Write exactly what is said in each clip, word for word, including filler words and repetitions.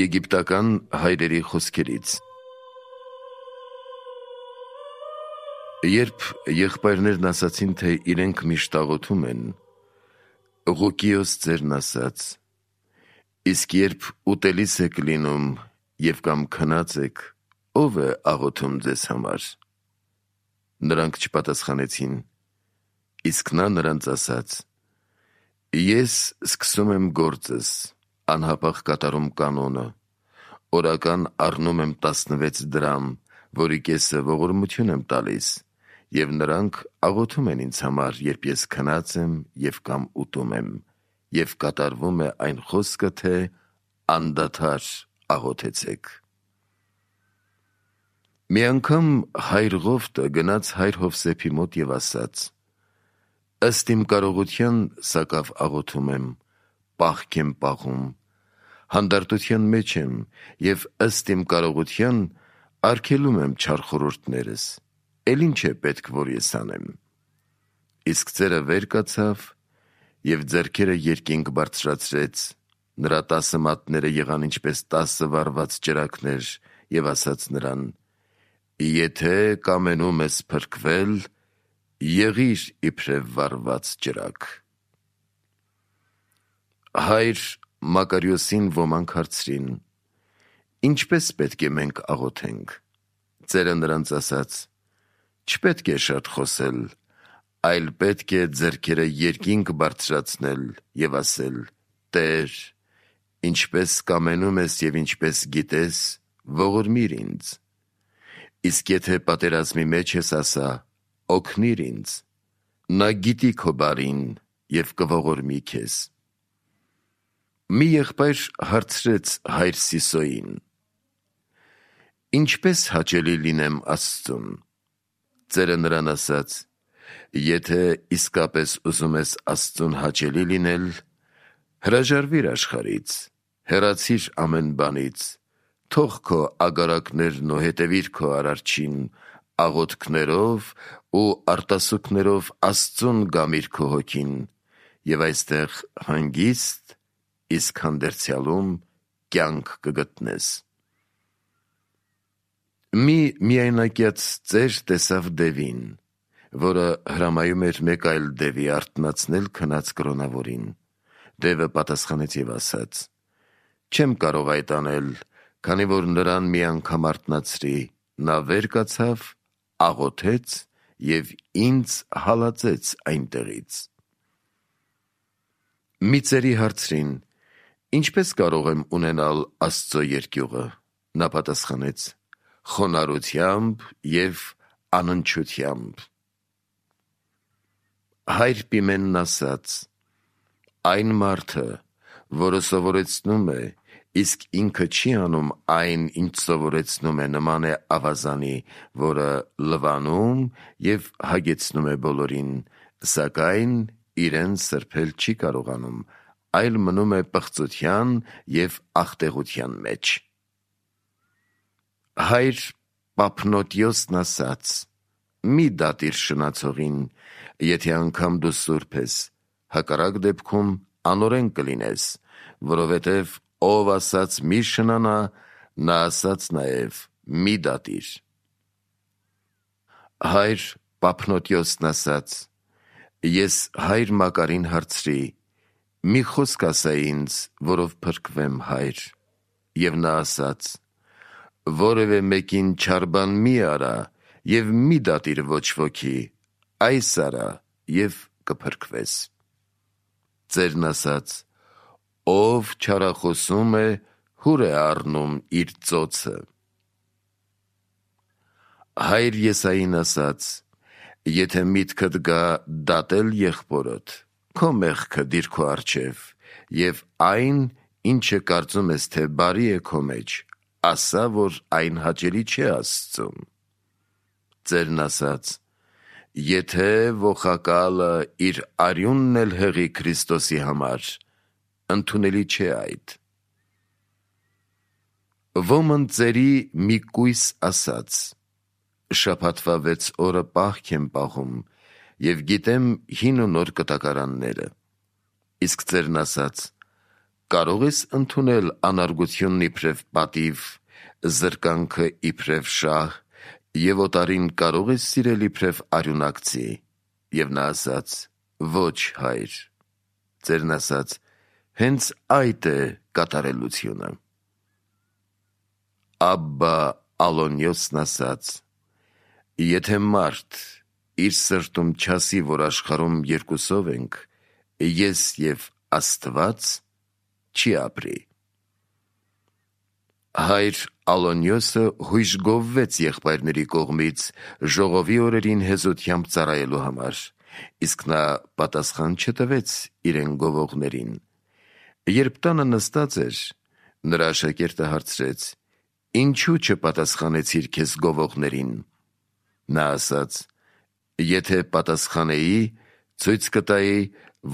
Եգիպտական հայրերի խոսքերից։ Երբ եղբայրներն ասացին, թե իրենք միշտ աղոթում են, Ղուկիոս ծերն ասաց. իսկ երբ ուտելիս եք լինում և կամ քնած եք, ով է աղոթում ձեզ համար։ Նրանք չպատասխանեցին, իսկ նա նրանց ասաց. ես սկսում եմ գործս, անհապաղ կատարում կանոնը, օրական առնում եմ տասնվեց դրամ, որի կեսը ողորմություն եմ տալիս, և նրանք աղոթում են ինձ համար, երբ ես քնած եմ և կամ ուտում եմ, և կատարվում է այն խոսքը, թե անդադար աղոթեցեք։ Մի անգամ հայր Ղովտը գնաց հայր Հովսեփի մոտ և ասաց. ըստ իմ կարողության սակավ աղոթում եմ, պահք եմ պահում, հանդարտության մեջ եմ և ըստ իմ կարողության արգելում եմ չար խորհուրդներս, էլ ինչ է պետք, որ ես անեմ։ Իսկ ծերը վեր կացավ և ձեռքերը երկինք բարձրացրեց, նրա տասը մատները եղան ինչպես տասը վառված ճրագներ, և ասաց նրան. եթե կամենում ես փրկվել, եղիր իբրև վառված ճրագ։ Հայր Մակարիոսին ոմանք հարցրին. ինչպե՞ս պետք է մենք աղոթենք։ Ծերը նրանց ասաց. չպետք է շատ խոսել, այլ պետք է ձեռքերը երկինք բարձրացնել և ասել. Տեր, ինչպես կամենում ես և ինչպես գիտես, ողորմիր ինձ։ Իսկ եթե պատերազմի մեջ ես, ասա. օգնիր ինձ, նա գիտի քո բարին և կողորմի քեզ։ Մի եղբայր հարցրեց հայր Սիսոյին. ինչպե՞ս հաճելի լինեմ Աստծուն։ Ծերը նրան ասաց. եթե իսկապես ուզում ես Աստծուն հաճելի լինել, հրաժարվիր աշխարհից, հեռացիր ամեն բանից, թող քո ագարակներն ու հետևիր քո Արարչին, աղոթքներով ու արտասուքներով Աստծուն գամիր քո հոգին, և այստեղ հանգիստ, իսկ հանդերձյալում կյանք կգտնես։ Մի միայնակյաց ծեր տեսավ դևին, որը հրամայում էր մեկ այլ դևի արթնացնել քնած կրոնավորին։ Դևը պատասխանեց և ասաց. չեմ կարող այդ անել, քանի որ նրան մի անգամ արթնացրի, նա վեր կացավ, աղոթեց և ինձ հալածեց այնտեղից։ Մի ծերի հարցրին. ինչպե՞ս կարող եմ ունենալ Աստծո երկյուղը։ Նա պատասխանեց. խոնարհությամբ և անընդչությամբ։ Հայր Պիմենն ասաց. այն մարդը, որը սովորեցնում է, իսկ ինքը չի անում այն, ինչ սովորեցնում է, նման է ավազանի, որը լվանում և հագեցնում է բոլորին, սակայն իրեն սրբել չի կարողանում, այլ մնում է պղծության և աղտեղության մեջ։ Հայր Պափնոտիոսն ասաց. մի դատիր շնացողին, եթե անգամ դու սուրբ ես, հակառակ դեպքում անօրեն կլինես, որովհետև ով ասաց մի շնանա, նա ասաց նաև մի դատիր։ Հայր Պափնոտիոսն ասաց. ես հայր Մակարին հարցրի. մի խոսք ասա ինձ, որով փրկվեմ, հայր։ Եվ նա ասաց. որևէ մեկին չար բան մի արա և մի դատիր ոչ ոքի, այս արա և կփրկվես։ Ծերն ասաց. ով չարախոսում է, հուր է առնում իր ծոցը։ Հայր Եսային ասաց. եթե միտքդ գա դատել եղբորդ, քո մեղքը դիր քո առջև, և այն, ինչը կարծում ես, թե բարի է քո մեջ, ասա, որ այն հաճելի չէ Աստծուն։ Ծերն ասաց. եթե ոխակալը իր արյունն էլ հղի Քրիստոսի համար, ընդունելի չէ այդ։ Ոմն ծերի մի կույս ասաց. շաբաթվա վեց օրը պահք եմ պահում և գիտեմ հին ու նոր կտակարանները։ Իսկ ծերն ասաց. կարող ես ընդունել անարգությունն իբրև պատիվ, զրկանքը իբրև շահ, և օտարին կարող ես սիրել իբրև արյունակցի։ Եվ նա ասաց. ոչ, հայր։ Ծերն ասաց. հենց այդ է կատարելությունը։ Աբբա Ալոնիոսն ասաց. եթե մարդ իր սրտում չասի, որ աշխարհում երկուսով ենք, ես և Աստված, չի ապրի։ Հայր Ալոնիոսը հույժ գովվեց եղբայրների կողմից ժողովի օրերին հեզությամբ ծառայելու համար, իսկ նա պատասխան չտվեց իրեն գովողներին։ Երբ տանը նստած էր, նրա աշակերտը հարցրեց. ինչու չպատասխանեցիր քեզ գովողներին։ Նա ասաց. եթե պատասխանեի, ցույց կտայի,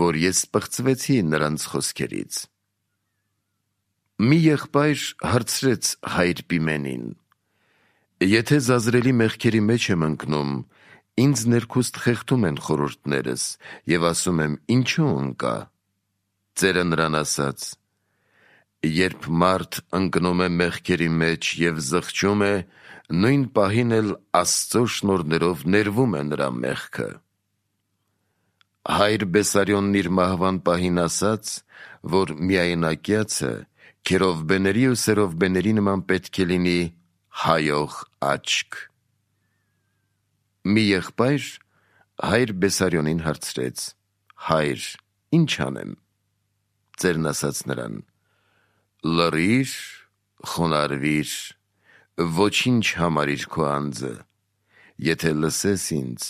որ ես պղծվեցի նրանց խոսքերից։ Մի եղբայր հարցրեց հայր Պիմենին. եթե զազրելի մեղքերի մեջ եմ ընկնում, ինձ ներքուստ խեղդում են խորհուրդներս, և ասում եմ, ինչու ընկա։ Ծերը նրան ասաց. երբ մարդ ընկնում է մեղքերի մեջ և զղջում է, նույն պահին էլ Աստծո շնորհներով ներվում է նրա մեղքը։ Հայր Բեսարյոնն իր մահվան պահին ասաց, որ միայնակյացը քերովբեների ու սերովբեների նման պետք է լինի հայող աչք։ Մի եղբայր հայր Բեսարյոնին հարցրեց. հայր, ի՞նչ անեմ։ Ծերն ասաց նրան. լռիր, խոնարհվիր, ոչինչ համարիր քո անձը, եթե լսես ինձ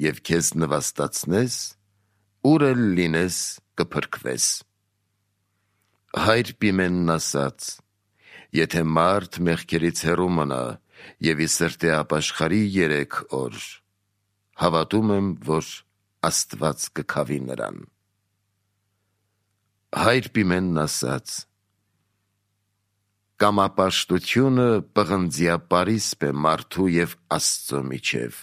և քեզ նվաստացնես, ուր էլ լինես կփրկվես։ Հայր Պիմենն ասաց. եթե մարդ մեղքերից հեռու մնա և ի սրտի ապաշխարի երեք օր, հավատում եմ, որ Աստված կքավի նրան։ Հայր Պիմենն ասաց. կամապաշտությունը պղնձյա պարիսպ է մարդու և Աստծո միջև։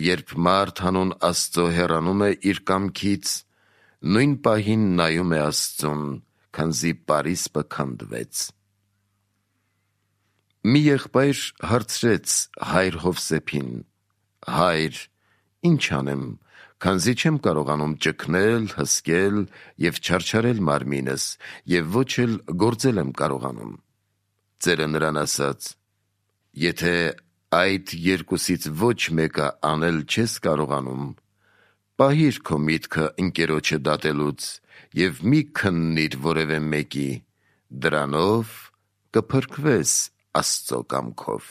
Երբ մարդ հանուն Աստծո հեռանում է իր կամքից, նույն պահին նայում է Աստծուն, քանզի պարիսպը քանդվեց։ Մի եղբայր հարցրեց հայր Հովսեփին. հայր, ի՞նչ անեմ, քանզի չեմ կարողանում ճգնել, հսկել և չարչարել մարմինս, և ոչ էլ գործել եմ կարողանում։ Ծերը նրան ասաց. եթե այդ երկուսից ոչ մեկը անել չես կարողանում, պահիր քո միտքը ընկերոջը դատելուց և մի քննիր որևէ մեկի, դրանով կփրկվես Աստծո կամքով։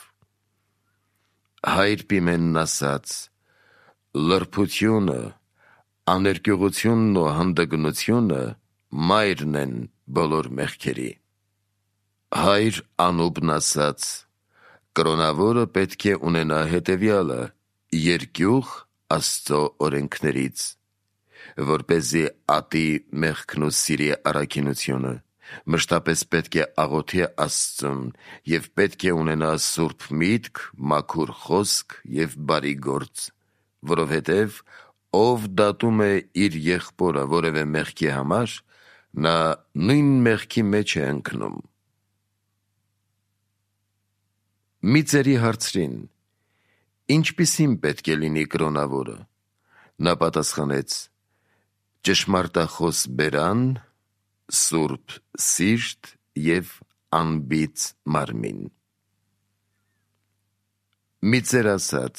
Հայր Պիմենն ասաց. լրբությունը, աներկյուղությունն ու հանդգնությունը մայրն են բոլոր մեղքերի։ Հայր Անուբն ասաց. կրոնավորը պետք է ունենա հետևյալը. երկյուղ Աստծո օրենքներից, որպեսզի ատի մեղքն ու սիրի առաքինությունը, մշտապես պետք է աղոթի Աստծուն և պետք է ունենա սուրբ միտք, մաքուր խոսք և բարի գործ, որովհետև ով դատում է իր եղբորը որևէ մեղքի համար, նա նույն մեղքի մեջ է ընկնում։ Մի ծերի հարցրին. ինչպիսին պետք է լինի կրոնավորը։ Նա պատասխանեց. ճշմարտախոս բերան, սուրբ սիրտ և անբիծ մարմին։ Մի ծեր ասաց.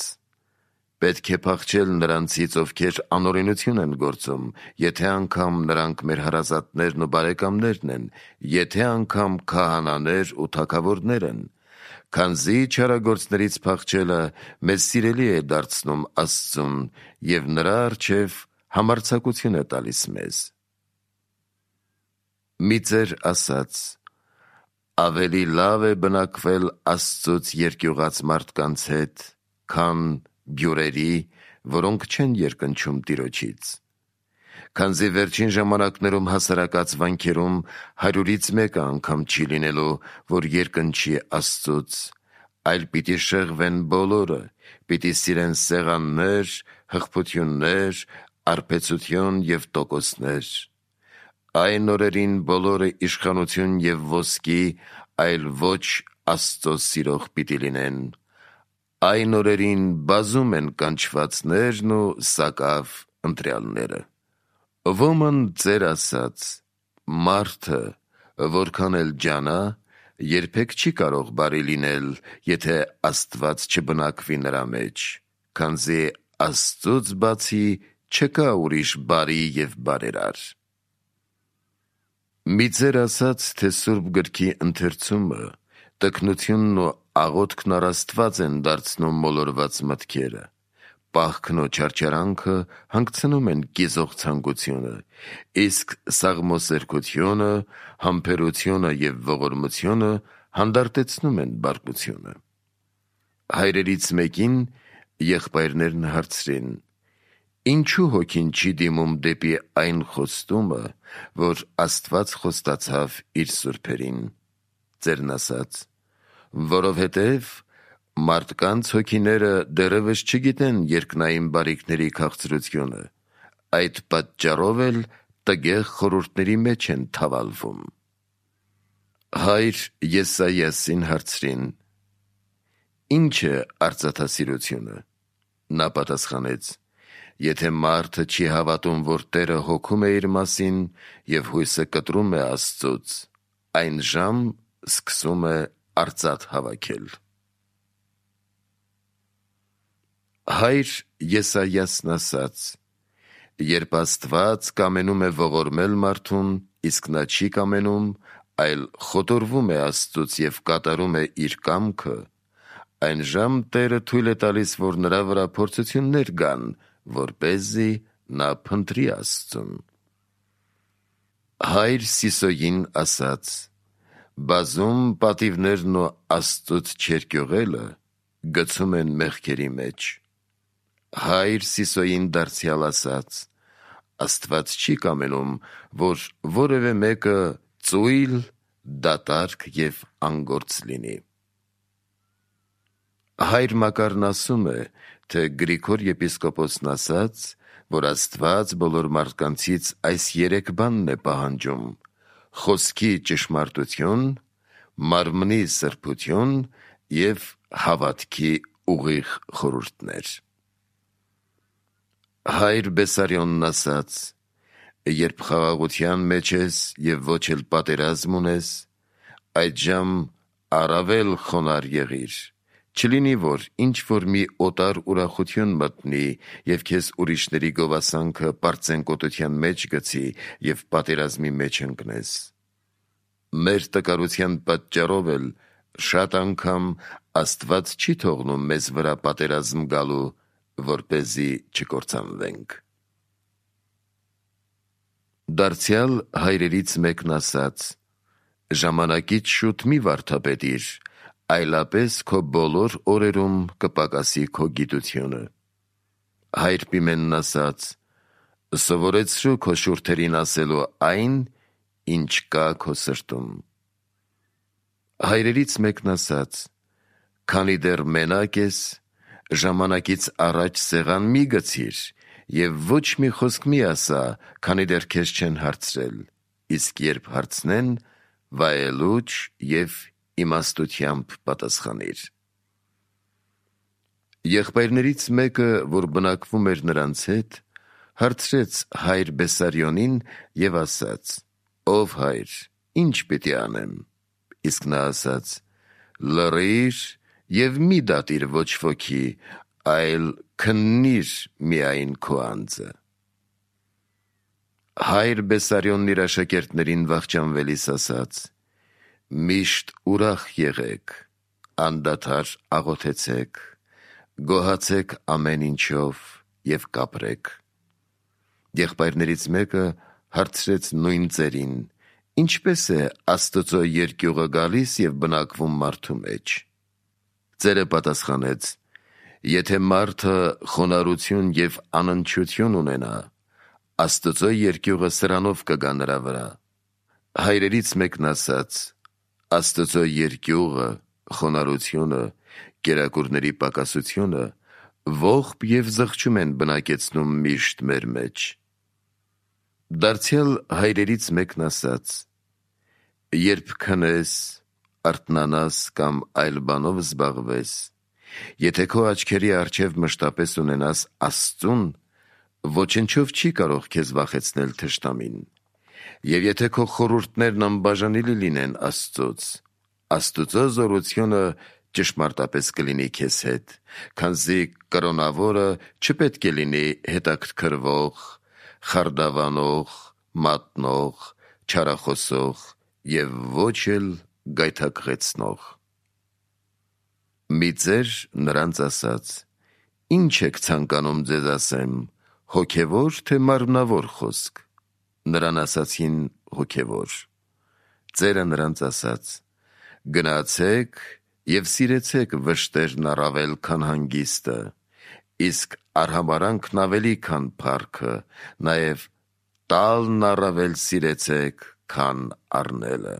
պետք է փախչել նրանցից, ովքեր անօրենություն են գործում, եթե անգամ նրանք մեր հարազատներն ու բարեկամներն են, եթե անգամ քահանաներ ու թագավորներ են, քանզի չարագործներից փախչելը մեզ սիրելի է դարձնում Աստծուն և նրա առջև համարձակություն է տալիս մեզ։ Մի ծեր ասաց. ավելի լավ է բնակվել Աստծուց երկյուղած մարդկանց հետ, քան բյուրերի, որոնք չեն երկնչում Տիրոջից։ Քանզի վերջին ժամանակներում հասարակած վանքերում հարյուրից մեկը անգամ չի լինելու, որ երկնչի Աստծուց, այլ պիտի շեղվեն բոլորը, պիտի սիրեն սեղաններ, հղբություններ, արբեցություն և տոկոսներ։ Այն օրերին բոլորը իշխանություն և ոսկի, այլ ոչ Աստծո սիրող պիտի լինեն։ Այն օրերին բազում են կանչվածներն ու սակավ ընտրյալները։ Ոմն ձեր ասած, մարդը, որքան էլ ջանա, երբեք չի կարող բարի լինել, եթե Աստված չբնակվի նրա մեջ, քանզի Աստծուց բացի չկա ուրիշ բարի և բարերար։ Մի ձեր ասած, թե Սուրբ գրքի ընթերցումը, տքնությունն ու աղոթքն առ Աստված են դարձնում մոլորված մտքերը, պահքն ու չարչարանքը հանգցնում են կիզող ցանկությունը, իսկ սաղմոսերկությունը, համբերությունը և ողորմությունը հանդարտեցնում են բարկությունը։ Հայրերից մեկին եղբայրներն հարցրին. «Ինչու հոգին չի դիմում դեպի այն խոստումը, որ Աստված խոստացավ իր սուրբերին»։ Ձերն ասաց. «Որովհետև մարդկանց հոգիները դեռևս չգիտեն երկնային բարիքների քաղցրությունը, այդ պատճառով էլ տգեղ խորհուրդների մեջ են թավալվում»։ Հայր Եսայիասին հարցրին. «Ինչ է արծաթասիրությունը»։ Նա պատասխանեց. «Եթե մարդը չի հավատում, որ Տերը հոգում է իր մասին և հույսը կտրում է Աստծուց, այն ժամ սկսում է արծաթ հավաքել»։ Հայր Եսայիասն ասաց. «Երբ Աստված կամենում է ողորմել մարդուն, իսկ նա չի կամենում, այլ խոտորվում է Աստծուց և կատարում է իր կամքը, այն ժամ Տերը թույլ է տալիս, որ նրա վրա փորձություններ գան, որպեսզի նա փնտրի Աստծուն»։ Հայր Սիսոյին ասաց. «Բազում պատիվներն ու Աստծուց չերկյուղելը գցում են մեղքերի մեջ»։ Հայր Սիսոյին դարձյալ ասաց. «Աստված չի կամենում, որ որևէ մեկը ծույլ, դատարկ և անգործ լինի»։ Հայր Մակարն ասում է, թե Գրիգոր եպիսկոպոսն ասաց, որ Աստված բոլոր մարդկանցից այս երեք բանն է պահանջում. խոսքի ճշմարտություն, մարմնի սրբություն և հավատքի ուղիղ խորհուրդներ։ Հայր Բեսարիոնն ասաց. «Երբ խաղաղության մեջ ես և ոչ էլ պատերազմ ունես, այդժամ առավել խոնարհ եղիր, չլինի, որ ինչ-որ մի օտար ուրախություն մտնի և քեզ ուրիշների գովասանքը պարծենկոտության մեջ գցի և պատերազմի մեջ ընկնես։ Մեր տկարության պատճառով էլ շատ անգամ Աստված չի թողնում մեզ վրա պատերազմ գալու, որպեսզի չկործանվենք»։ Դարձյալ հայրերից մեկն ասաց. «Ժամանակից շուտ մի վարդապետիր, այլապես քո բոլոր օրերում կպակասի քո գիտությունը»։ Հայր Պիմենն ասաց. «Սովորեցրու քո շուրթերին ասելու այն, ինչ կա քո սրտում»։ Հայրերից մեկն ասաց. «Քանի դեռ մենակ ես, ժամանակից առաջ սեղան մի գցիր և ոչ մի խոսք մի ասա, քանի դեռ քեզ չեն հարցրել, իսկ երբ հարցնեն, վայելուչ և իմաստությամբ պատասխանիր»։ Եղբայրներից մեկը, որ բնակվում էր նրանց հետ, հարցրեց հայր Բեսարիոնին և ասաց. «Ով հայր, ի՞նչ պիտի անեմ»։ Իսկ նա ասաց. «Լռիր և մի դատիր ոչ ոքի, այլ քննիր միայն քո անձը»։ Հայր Բեսարիոնն իր աշակերտներին վախճանվելիս ասաց. «Միշտ ուրախ եղեք, անդադար աղոթեցեք, գոհացեք ամեն ինչով և կապրեք»։ Եղբայրներից մեկը հարցրեց նույն ծերին. «Ինչպե՞ս է Աստծո երկյուղը գալիս և բնակվում մարդու մեջ»։ Ծերը պատասխանեց. «Եթե մարդը խոնարհություն և անընդչություն ունենա, Աստծո երկյուղը սրանով կգա նրա վրա»։ Հայրերից մեկն ասաց. «Աստծո երկյուղը, խոնարհությունը, կերակուրների պակասությունը ողբ և զղջում են բնակեցնում միշտ մեր մեջ»։ Դարձյալ հայրերից մեկն ասաց. երբ քնես, արթնանաս կամ այլ բանով զբաղվես, եթե քո աչքերի առջև մշտապես ունենաս Աստծուն, ոչնչով չի կարող քեզ վախեցնել թշնամին, և եթե քո խորհուրդներն անբաժանելի լինեն Աստծոց, Աստուծո զորությունը ճշմարտապես կլինի քեզ հետ, քանզի կրոնավորը չպետք է լինի հետաքրքրվող, խարդավանող, մատնող, չարախոսող և ոչ էլ գայթակղեցնող։ Մի ծեր նրանց ասաց. ինչ եք ցանկանում ձեզ ասեմ, հոգևոր թե մարմնավոր խոսք։ Նրան ասացին հոգևոր։ Ծերը նրանց ասաց. գնացեք և սիրեցեք վշտերն առավել, քան հանգիստը, իսկ արհամարհանքն ավելի, քան փառքը, նաև տալն առավել սիրեցեք, քան առնելը։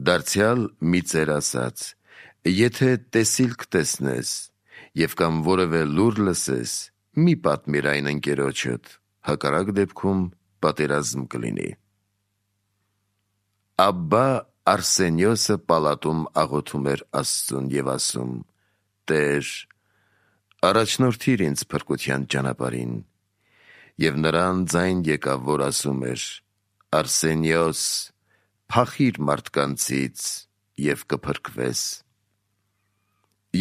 Դարձյալ մի ծեր ասաց. եթե տեսիլք տեսնես և կամ որևէ լուր լսես, մի պատմիր այն ընկերոջդ, հակառակ դեպքում պատերազմ կլինի։ Աբբա Արսենիոսը պալատում աղոթում էր Աստծուն և ասում. Տեր, առաջնորդիր ինձ փրկության ճանապարհին, և նրան ձայն եկավ, որ ասում էր. Արսենիոս, փախիր մարդկանցից և կփրկվես։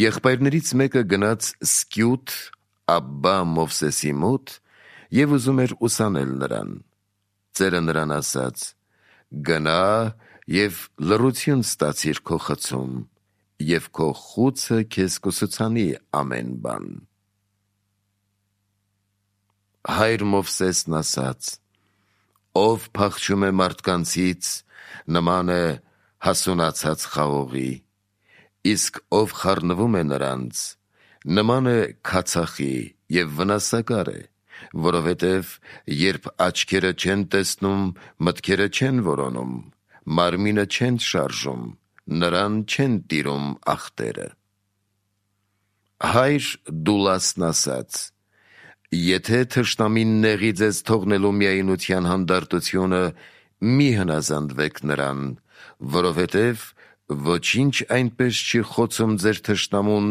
Եղբայրներից մեկը գնաց Սկյուտ Աբբա Մովսեսի մոտ և ուզում էր ուսանել նրան։ Ծերը նրան ասաց. գնա և լռություն ստացիր քո խցում, և քո խուցը քեզ կուսուցանի ամեն բան։ Հայր Մովսեսն ասաց. ով փախչում է մարդկանցից, նման է հասունացած խաղողի, իսկ ով խառնվում է նրանց, նման է քացախի և վնասակար է, որովհետև երբ աչքերը չեն տեսնում, մտքերը չեն որոնում, մարմինը չեն շարժում, նրան չեն տիրում ախտերը։ Հայր Դուլասն ասաց. եթե թշնամին նեղի ձեզ թողնելու միայնության հանդարտությունը, մի հնազանդվեք նրան, որովհետև ոչինչ այնպես չի խոցում ձեր թշնամուն,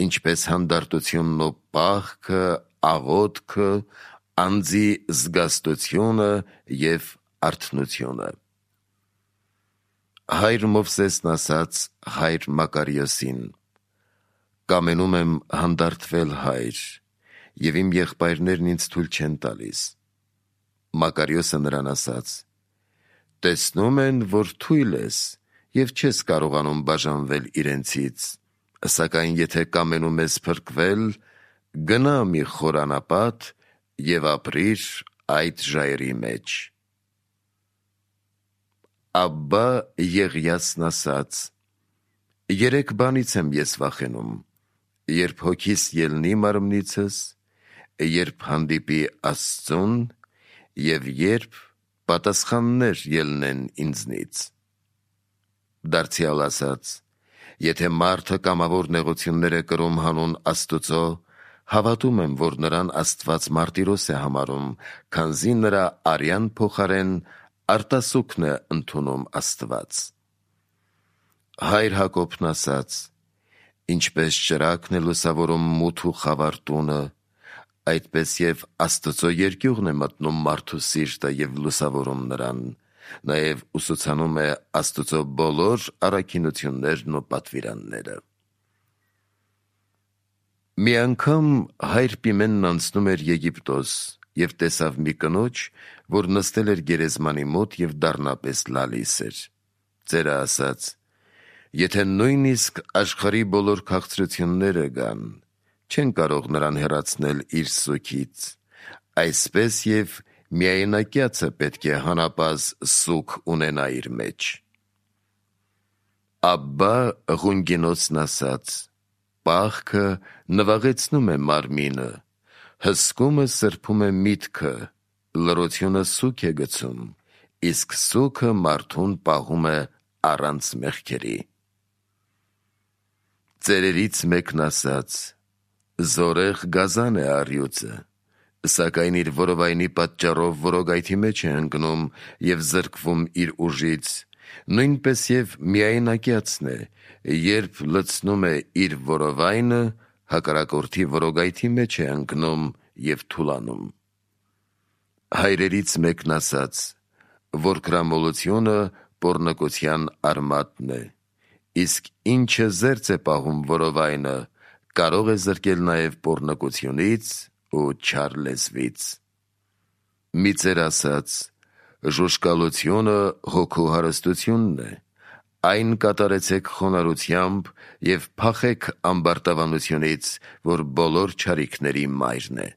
ինչպես հանդարտությունն ու պահքը, աղոթքը, անձի զգաստությունը և արթնությունը։ Հայր Մովսեսն ասաց հայր Մակարիոսին. կամենում եմ հանդարտվել, հայր, և իմ եղբայրներն ինձ թույլ չեն տալիս։ Մակարիոսը նրան ասաց. տեսնում են, որ թույլ ես և չես կարողանում բաժանվել իրենցից, սակայն եթե կամենում ես փրկվել, գնա մի խորանապատ և ապրիր այդ ժայռի մեջ։ Աբբա Եղիասն ասաց. երեք բանից եմ ես վախենում, երբ հոգիս ելնի մարմնիցս, երբ հանդիպի Աստծուն և երբ պատասխաններ ելնեն ինձնից։ Դարձյալ ասաց. եթե մարդը կամավոր նեղություններ է կրում հանուն Աստուծո, հավատում եմ, որ նրան Աստված մարտիրոս է համարում, քանզի նրա արյան փոխարեն արտասուքն է ընդունում Աստված։ Հայր Հակոբն ասաց. ինչպես ճրագն է լուսավորում մութ ու խավար տունը, այդպես և Աստծո երկյուղն է մտնում մարդու սիրտը և լուսավորում նրան, նաև ուսուցանում է Աստծո բոլոր առաքինություններն ու պատվիրանները։ Մի անգամ հայր Պիմենն անցնում էր Եգիպտոս և տեսավ մի կնոջ, որ նստել էր գերեզմանի մոտ և դառնապես լալիս էր։ Ծերը ասաց. եթե նույնիսկ աշխարհի բոլոր քաղցրությունները գան, չեն կարող նրան հեռացնել իր սուգից, այսպես և միայնակյացը պետք է հանապազը սուգ ունենա իր մեջ։ Աբբա Ղունգինոսն ասաց. պահքը նվաղեցնում է մարմինը, հսկումը սրբում է միտքը, լռությունը սուգ է գցում, իսկ սուգը մարդուն պահում է առանց մեղքերի։ Ծերերից մեկն ասաց. զորեղ գազան է առյուծը, Սակայն իր որովայնի պատճառով որոգայթի մեջ է ընկնում և զրկվում իր ուժից, նույնպես և միայնակյացն է, երբ լցնում է իր որովայնը, հակառակորդի որոգայթի մեջ է ընկնում և թուլանում։ Հայրերից մեկն ասաց, որ գրամոլությունը պոռնկության արմատն է, իսկ ինչը զերծ է պահում որովայնը, կարող է զրկել նաև պոռնկությունից ու չար լեզվից։ Մի ծեր ասաց. «Ժուժկալությունը հոգու հարստությունն է, այն կատարեցեք խոնարհությամբ և փախեք ամբարտավանությունից, որ բոլոր չարիքների մայրն է»։